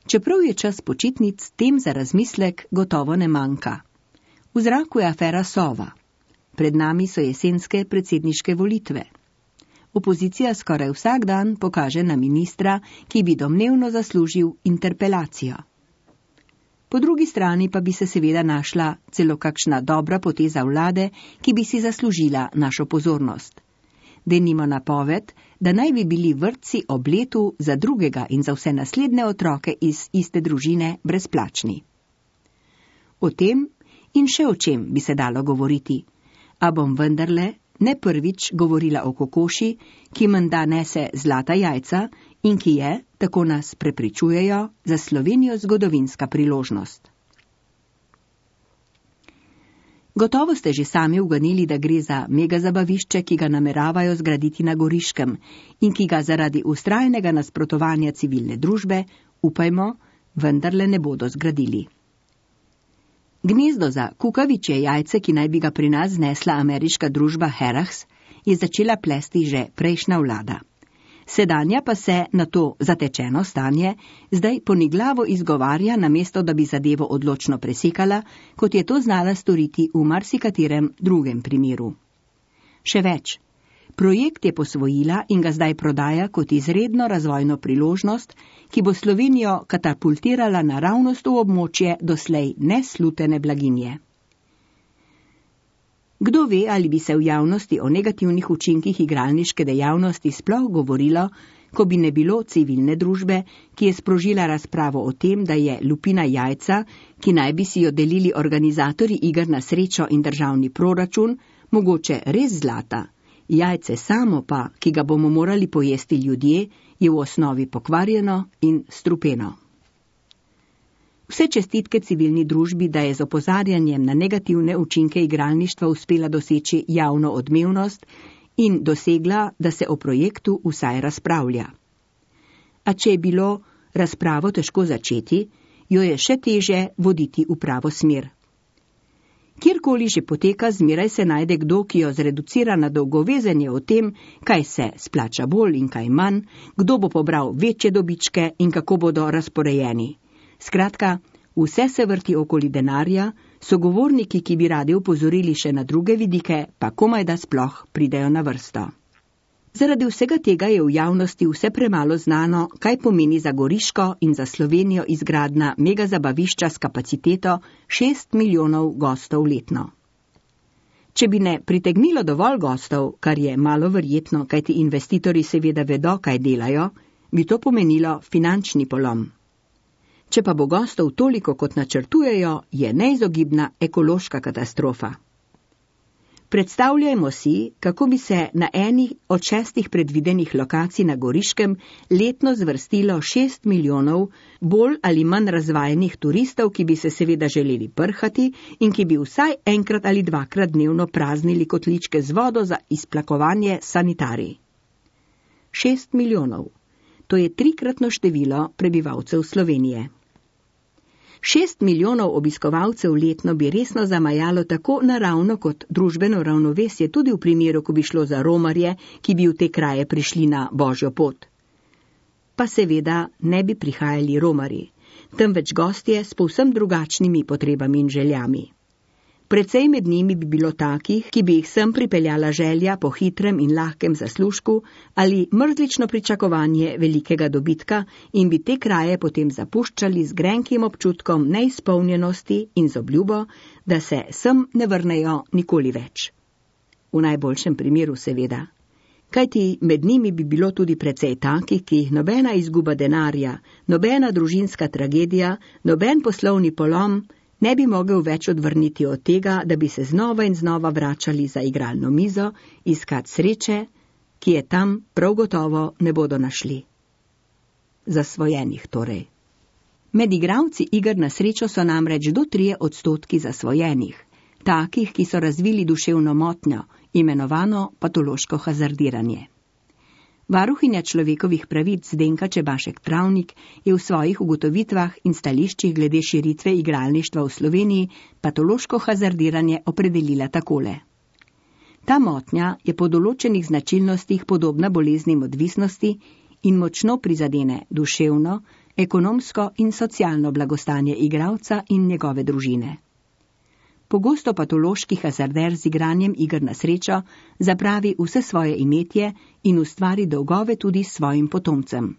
Čeprav je čas počitnic, tem za razmislek gotovo ne manjka. V zraku je afera Sova. Pred nami so jesenske predsedniške volitve. Opozicija skoraj vsak dan pokaže na ministra, ki bi domnevno zaslužil interpelacijo. Po drugi strani pa bi se seveda našla celo kakšna dobra poteza vlade, ki bi si zaslužila našo pozornost. Denimo napoved, da naj bi bili vrtci ob letu za drugega in za vse naslednje otroke iz iste družine brezplačni. O tem in še o čem bi se dalo govoriti, a bom vendarle ne prvič govorila o kokoši, ki menda nese zlata jajca in ki je, tako nas prepričujejo, za Slovenijo zgodovinska priložnost. Gotovo ste že sami uganili, da gre za megazabavišče, ki ga nameravajo zgraditi na Goriškem in ki ga zaradi vztrajnega nasprotovanja civilne družbe, upajmo, vendarle ne bodo zgradili. Gnezdo za kukavičje jajce, ki naj bi ga pri nas znesla ameriška družba Harrah's, je začela plesti že prejšnja vlada. Sedanja pa se na to zatečeno stanje zdaj poniglavo izgovarja, namesto da bi zadevo odločno presekala, kot je to znala storiti v marsikaterem drugem primeru. Še več, projekt je posvojila in ga zdaj prodaja kot izredno razvojno priložnost, ki bo Slovenijo katapultirala naravnost v območje doslej neslutene blaginje. Kdo ve, ali bi se v javnosti o negativnih učinkih igralniške dejavnosti sploh govorilo, ko bi ne bilo civilne družbe, ki je sprožila razpravo o tem, da je lupina jajca, ki naj bi si jo delili organizatorji iger na srečo in državni proračun, mogoče res zlata. Jajce samo pa, ki ga bomo morali pojesti ljudje, je v osnovi pokvarjeno in strupeno. Vse čestitke civilni družbi, da je z opozarjanjem na negativne učinke igralništva uspela doseči javno odmevnost in dosegla, da se o projektu vsaj razpravlja. A če je bilo razpravo težko začeti, jo je še teže voditi v pravo smer. Kjerkoli že poteka, zmeraj se najde kdo, ki jo zreducira na dolgovezenje o tem, kaj se splača bolj in kaj manj, kdo bo pobral večje dobičke in kako bodo razporejeni. Skratka, vse se vrti okoli denarja, sogovorniki, ki bi radi opozorili še na druge vidike, pa komaj da sploh pridejo na vrsto. Zaradi vsega tega je v javnosti vse premalo znano, kaj pomeni za Goriško in za Slovenijo izgradnja megazabavišča s kapaciteto 6 milijonov gostov letno. Če bi ne pritegnilo dovolj gostov, kar je malo verjetno, kajti investitorji seveda vedo, kaj delajo, bi to pomenilo finančni polom. Če pa bo gostov toliko, kot načrtujejo, je neizogibna ekološka katastrofa. Predstavljajmo si, kako bi se na eni od 6 predvidenih lokacij na Goriškem letno zvrstilo 6 milijonov bolj ali manj razvajenih turistov, ki bi se seveda želeli prhati in ki bi vsaj enkrat ali dvakrat dnevno praznili kotličke z vodo za izplakovanje sanitarij. 6 milijonov. To je 3-kratno število prebivalcev Slovenije. 6 milijonov obiskovalcev letno bi resno zamajalo tako naravno kot družbeno ravnovesje, tudi v primeru, ko bi šlo za romarje, ki bi v te kraje prišli na božjo pot. Pa seveda ne bi prihajali romarji, temveč gostje s povsem drugačnimi potrebami in željami. Precej med njimi bi bilo takih, ki bi jih sem pripeljala želja po hitrem in lahkem zaslužku ali mrzlično pričakovanje velikega dobitka in bi te kraje potem zapuščali z grenkim občutkom neizpolnjenosti in z obljubo, da se sem ne vrnejo nikoli več. V najboljšem primeru seveda. Kajti med njimi bi bilo tudi precej takih, ki jih nobena izguba denarja, nobena družinska tragedija, noben poslovni polom ne bi mogel več odvrniti od tega, da bi se znova in znova vračali za igralno mizo, iskat sreče, ki je tam prav gotovo ne bodo našli. Zasvojenih torej. Med igralci iger na srečo so namreč do 3% zasvojenih, takih, ki so razvili duševno motnjo, imenovano patološko hazardiranje. Varuhinja človekovih pravic Zdenka Čebašek Travnik je v svojih ugotovitvah in stališčih glede širitve igralništva v Sloveniji patološko hazardiranje opredelila takole. Ta motnja je po določenih značilnostih podobna boleznim odvisnosti in močno prizadene duševno, ekonomsko in socialno blagostanje igralca in njegove družine. Pogosto patološki hazarder z igranjem iger na srečo zapravi vse svoje imetje in ustvari dolgove tudi svojim potomcem.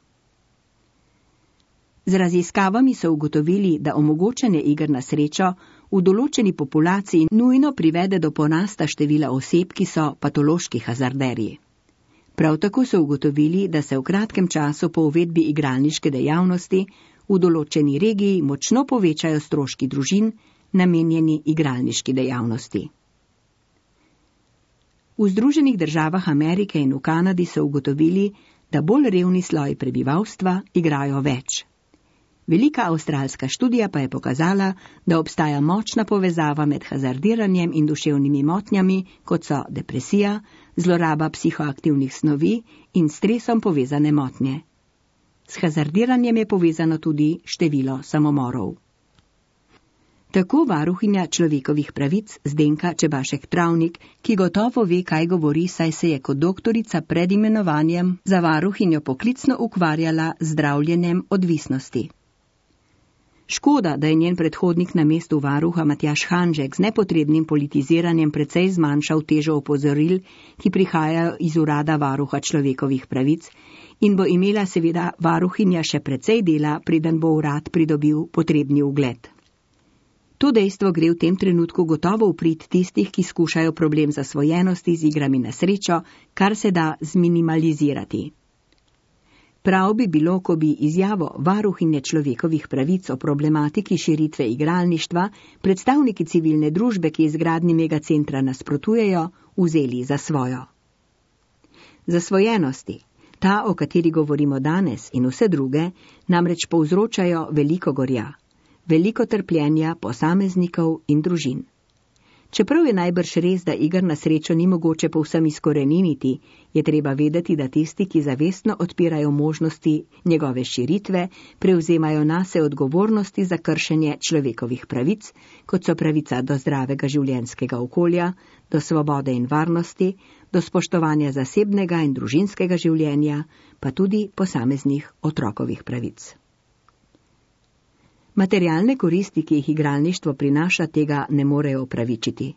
Z raziskavami so ugotovili, da omogočanje iger na srečo v določeni populaciji nujno privede do porasta števila oseb, ki so patološki hazarderji. Prav tako so ugotovili, da se v kratkem času po uvedbi igralniške dejavnosti v določeni regiji močno povečajo stroški družin, namenjeni igralniški dejavnosti. V Združenih državah Amerike in v Kanadi so ugotovili, da bolj revni sloj prebivalstva igrajo več. Velika avstralska študija pa je pokazala, da obstaja močna povezava med hazardiranjem in duševnimi motnjami, kot so depresija, zloraba psihoaktivnih snovi in stresom povezane motnje. S hazardiranjem je povezano tudi število samomorov. Tako varuhinja človekovih pravic Zdenka Čebašek-Travnik, ki gotovo ve, kaj govori, saj se je kot doktorica pred imenovanjem za varuhinjo poklicno ukvarjala z zdravljenjem odvisnosti. Škoda, da je njen predhodnik na mestu varuha Matjaž Hanžek z nepotrebnim politiziranjem precej zmanjšal težo opozoril, ki prihajajo iz urada varuha človekovih pravic, in bo imela seveda varuhinja še precej dela, preden bo urad pridobil potrebni ugled. To dejstvo gre v tem trenutku gotovo v prid tistih, ki skušajo problem zasvojenosti z igrami na srečo, kar se da zminimalizirati. Prav bi bilo, ko bi izjavo varuhinje človekovih pravic o problematiki širitve igralništva predstavniki civilne družbe, ki izgradnji megacentra nasprotujejo, vzeli za svojo. Zasvojenosti, ta, o kateri govorimo danes, in vse druge, namreč povzročajo veliko gorja, veliko trpljenja posameznikov in družin. Čeprav je najbrž res, da iger na srečo ni mogoče povsem izkoreniniti, je treba vedeti, da tisti, ki zavestno odpirajo možnosti njegove širitve, prevzemajo nase odgovornosti za kršenje človekovih pravic, kot so pravica do zdravega življenjskega okolja, do svobode in varnosti, do spoštovanja zasebnega in družinskega življenja, pa tudi posameznih otrokovih pravic. Materialne koristi, ki jih igralništvo prinaša, tega ne morejo opravičiti.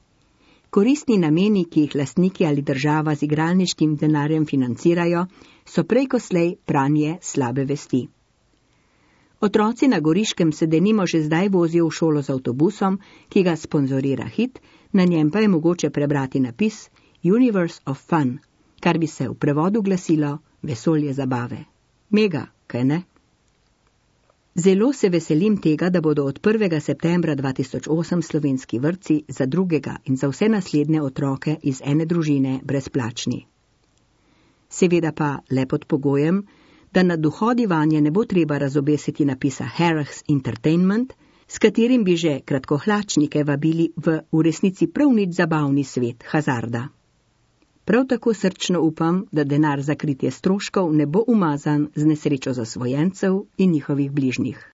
Koristni nameni, ki jih lastniki ali država z igralniškim denarjem financirajo, so prej ko slej pranje slabe vesti. Otroci na Goriškem se denimo že zdaj vozijo v šolo z avtobusom, ki ga sponzorira Hit, na njem pa je mogoče prebrati napis Universe of Fun, kar bi se v prevodu glasilo vesolje zabave. Mega, kaj ne? Zelo se veselim tega, da bodo od 1. septembra 2008 slovenski vrtci za drugega in za vse naslednje otroke iz ene družine brezplačni. Seveda pa le pod pogojem, da na dohodi vanje ne bo treba razobesiti napisa Harris Entertainment, s katerim bi že kratkohlačnike vabili v resnici prav nič zabavni svet hazarda. Prav tako srčno upam, da denar za kritje stroškov ne bo umazan z nesrečo zasvojencev in njihovih bližnjih.